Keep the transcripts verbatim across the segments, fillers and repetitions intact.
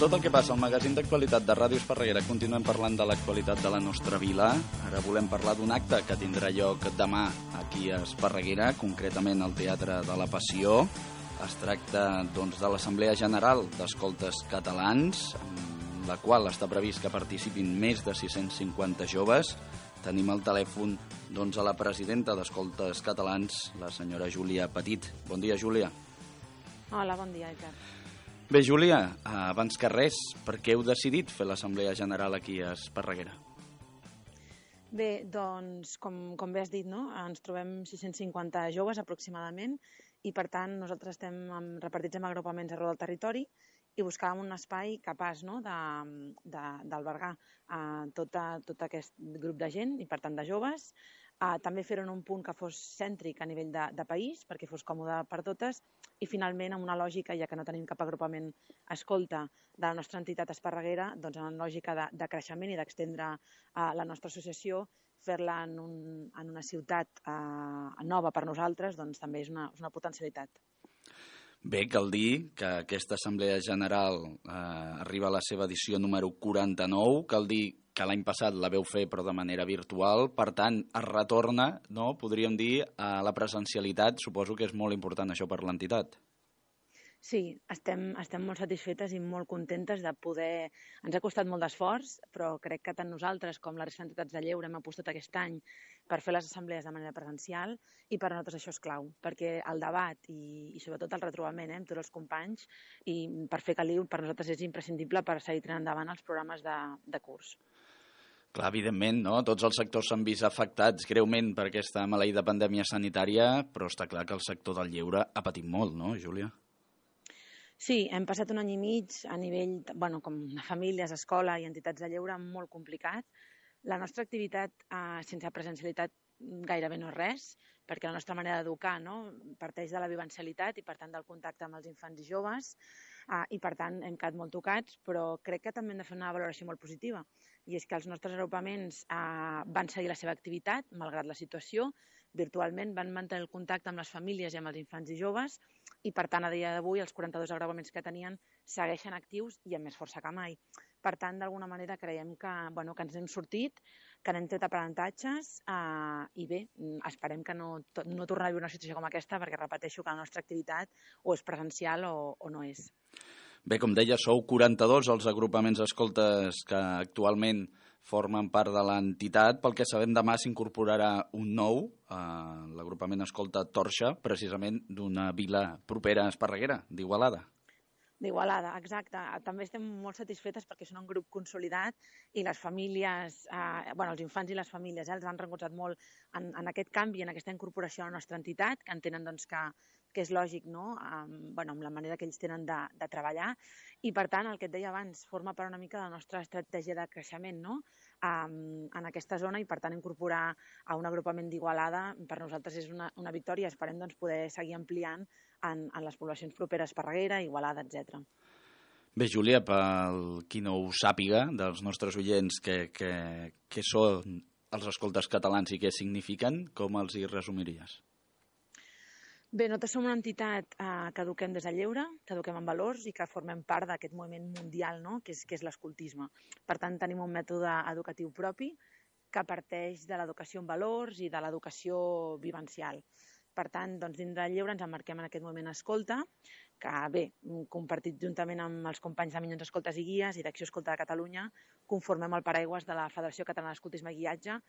tot el que passa al magazín d'actualitat de Ràdio Esparreguera. Continuem parlant de l'actualitat de la nostra vila. Ara volem parlar d'un acte que tindrà lloc demà aquí a Esparreguera, concretament al Teatre de la Passió. Es tracta doncs, de l'Assemblea General d'Escoltes Catalans, en la qual està previst que participin més de sis-cents cinquanta joves. Tenim al telèfon doncs, a la presidenta d'Escoltes Catalans, la senyora Júlia Petit. Bon dia, Júlia. Hola, bon dia, Ricard. Bé, Júlia, abans que res, per què heu decidit fer l'Assemblea General aquí a Esparreguera? Bé, doncs, com, com bé has dit, no? Ens trobem sis-cents cinquanta joves aproximadament i, per tant, nosaltres estem repartits en agrupaments arreu del territori i buscàvem un espai capaç, no?, d'albergar uh, tot, tot aquest grup de gent i, per tant, de joves. Uh, també fer-ho en un punt que fos cèntric a nivell de, de país, perquè fos còmode per totes, i finalment, amb una lògica, ja que no tenim cap agrupament escolta de la nostra entitat Esparreguera, doncs en una lògica de, de creixement i d'extendre uh, la nostra associació, fer-la en, un, en una ciutat uh, nova per nosaltres, doncs també és una, és una potencialitat. Bé, cal dir que aquesta Assemblea General eh, arriba a la seva edició número quaranta-nou, cal dir que l'any passat la veu fer però de manera virtual, per tant es retorna, no, podríem dir, a la presencialitat. Suposo que és molt important això per l'entitat. Sí, estem, estem molt satisfetes i molt contentes de poder... Ens ha costat molt d'esforç, però crec que tant nosaltres com la resta d'entitats de lleure hem apostat aquest any per fer les assemblees de manera presencial i per a nosaltres això és clau, perquè el debat i, i sobretot el retrobament eh, amb tots els companys i per fer caliu per nosaltres és imprescindible per seguir tirant endavant els programes de, de curs. Clar, evidentment, no? Tots els sectors s'han vist afectats greument per aquesta maleïda pandèmia sanitària, però està clar que el sector del lleure ha patit molt, no, Júlia? Sí, hem passat un any i mig a nivell, bueno, com de famílies, escola i entitats de lleure molt complicat. La nostra activitat eh, sense presencialitat gairebé no és res, perquè la nostra manera d'educar no, parteix de la vivencialitat i per tant del contacte amb els infants i joves eh, i per tant hem quedat molt tocats, però crec que també hem de fer una valoració molt positiva i és que els nostres agrupaments eh, van seguir la seva activitat malgrat la situació, virtualment van mantenir el contacte amb les famílies i amb els infants i joves i, per tant, a dia d'avui els quaranta-dos agrupaments que tenien segueixen actius i amb més força que mai. Per tant, d'alguna manera creiem que, bueno, que ens hem sortit, que n'hem tret aprenentatges eh, i bé, esperem que no, no tornar a viure una situació com aquesta perquè repeteixo que la nostra activitat o és presencial o, o no és. Bé, com deia, sou quaranta-dos els agrupaments escoltes que actualment formen part de l'entitat. Pel que sabem, demà s'incorporarà un nou, eh, l'agrupament escolta Torxa, precisament d'una vila propera a Esparreguera, d'Igualada. D'Igualada, exacte. També estem molt satisfetes perquè són un grup consolidat i les famílies, eh, bueno, els infants i les famílies eh, els han recolzat molt en, en aquest canvi, en aquesta incorporació a la nostra entitat, que entenen doncs, que, que és lògic, no? Um, bueno, amb la manera que ells tenen de, de treballar. I, per tant, el que et deia abans, forma part una mica de la nostra estratègia de creixement, no? Um, en aquesta zona i, per tant, incorporar a un agrupament d'Igualada per nosaltres és una, una victòria. Esperem doncs, poder seguir ampliant en, en les poblacions properes, Esparreguera, Igualada, etcètera. Bé, Júlia, pel qui no ho sàpiga, dels nostres oients, què que, que són els escoltes catalans i què signifiquen, com els hi resumiries? Bé, nosaltres som una entitat eh, que eduquem des del lleure, que eduquem en valors i que formem part d'aquest moviment mundial, no?, que és, que és l'escoltisme. Per tant, tenim un mètode educatiu propi que parteix de l'educació en valors i de l'educació vivencial. Per tant, doncs, dins del lleure ens emmarquem en aquest moviment escolta, que, bé, compartit juntament amb els companys de Minyons Escoltes i Guies i d'Acció Escolta de Catalunya, conformem el paraigües de la Federació Catalana d'Escoltisme i Guiatge,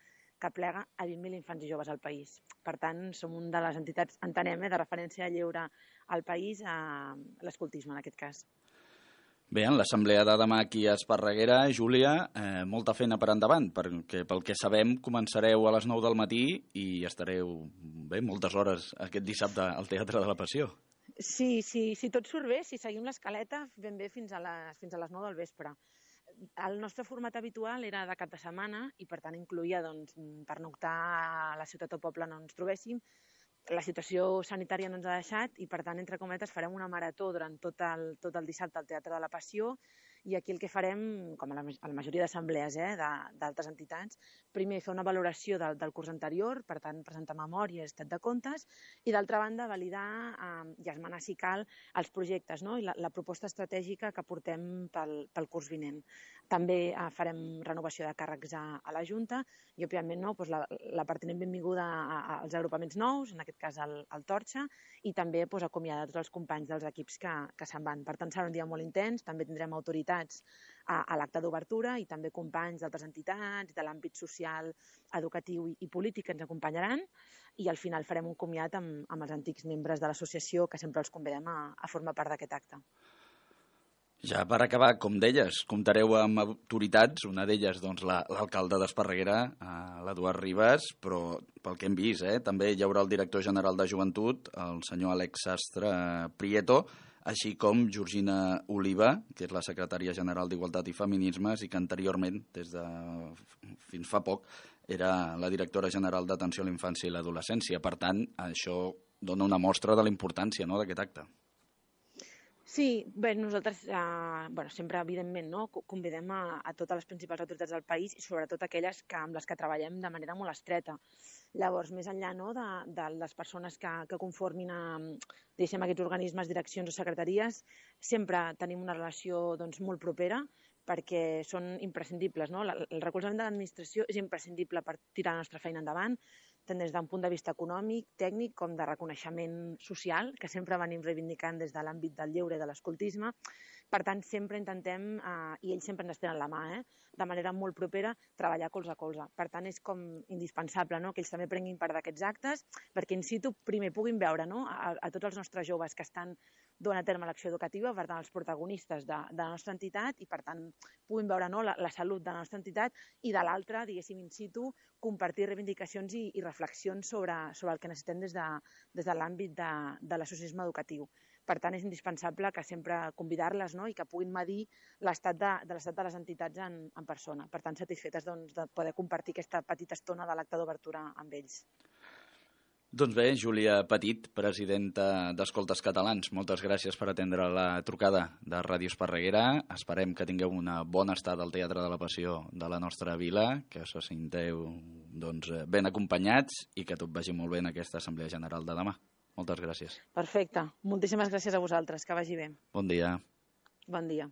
que plega a vint mil infants i joves al país. Per tant, som una de les entitats, entenem, eh, de referència de lleure al país, a l'escoltisme, en aquest cas. Bé, en l'assemblea de demà aquí a Esparreguera, Júlia, eh, molta feina per endavant, perquè pel que sabem començareu a les nou del matí i estareu bé moltes hores aquest dissabte al Teatre de la Passió. Sí, sí, si tot surt bé, si seguim l'escaleta, ben bé fins a les, fins a les nou del vespre. El nostre format habitual era de cap de setmana i, per tant, incloïa doncs, pernoctar a la ciutat o poble on ens trobéssim. La situació sanitària no ens ha deixat i, per tant, entre cometes, farem una marató durant tot el, tot el dissabte al Teatre de la Passió I aquí el que farem, com a la, a la majoria d'assemblees eh, d'altres entitats, primer fer una valoració del, del curs anterior, per tant, presentar memòria i estat de comptes, i d'altra banda, validar eh, i esmenar, si cal, els projectes, no? I la, la proposta estratègica que portem pel, pel curs vinent. També eh, farem renovació de càrrecs a, a la Junta i, òbviament, no, doncs la, la pertinent benvinguda a, a, als agrupaments nous, en aquest cas al, al Torxa, i també doncs, acomiadar tots els companys dels equips que, que se'n van. Per tant, serà un dia molt intens, també tindrem autoritats a, a l'acte d'obertura i també companys d'altres entitats, de l'àmbit social, educatiu i, i polític que ens acompanyaran, i al final farem un comiat amb, amb els antics membres de l'associació que sempre els convidem a, a formar part d'aquest acte. Ja per acabar, com deies, comptareu amb autoritats, una d'elles doncs, l'alcalde d'Esparreguera, l'Eduard Ribas, però pel que hem vist, eh, també hi haurà el director general de Joventut, el senyor Àlex Sastre Prieto, així com Georgina Oliva, que és la secretària general d'Igualtat i Feminismes i que anteriorment, des de fins fa poc, era la directora general d'Atenció a la Infància i l'Adolescència. Per tant, això dona una mostra de la importància, no, d'aquest acte. Sí, bé, nosaltres eh, bueno, sempre, evidentment, no, convidem a, a totes les principals autoritats del país i sobretot aquelles que, amb les que treballem de manera molt estreta. Llavors, més enllà no, de, de les persones que, que conformin a, diguéssim, aquests organismes, direccions o secretaries, sempre tenim una relació doncs, molt propera perquè són imprescindibles. No? El recolzament de l'administració és imprescindible per tirar la nostra feina endavant, tant des d'un punt de vista econòmic, tècnic, com de reconeixement social, que sempre venim reivindicant des de l'àmbit del lleure i de l'escoltisme. Per tant, sempre intentem, eh, i ells sempre ens estenen la mà, eh, de manera molt propera, treballar colze a colze. Per tant, és com indispensable no? que ells també prenguin part d'aquests actes, perquè in situ primer puguin veure no? a, a tots els nostres joves que estan duent a terme l'acció educativa, per tant, els protagonistes de, de la nostra entitat, i per tant, puguin veure no? la, la salut de la nostra entitat, i de l'altra, diguéssim, in situ, compartir reivindicacions i, i reflexions sobre, sobre el que necessitem des de, des de l'àmbit de, de l'associacionisme educatiu. Per tant, és indispensable que sempre convidar-les no? i que puguin medir l'estat de, de l'estat de les entitats en, en persona. Per tant, satisfetes doncs, de poder compartir aquesta petita estona de l'acte d'obertura amb ells. Doncs bé, Júlia Petit, presidenta d'Escoltes Catalans, moltes gràcies per atendre la trucada de Ràdio Esparreguera. Esperem que tingueu una bona estada al Teatre de la Passió de la nostra vila, que se sinteu doncs, ben acompanyats i que tot vagi molt bé en aquesta Assemblea General de demà. Moltes gràcies. Perfecte. Moltíssimes gràcies a vosaltres. Que vagi bé. Bon dia. Bon dia.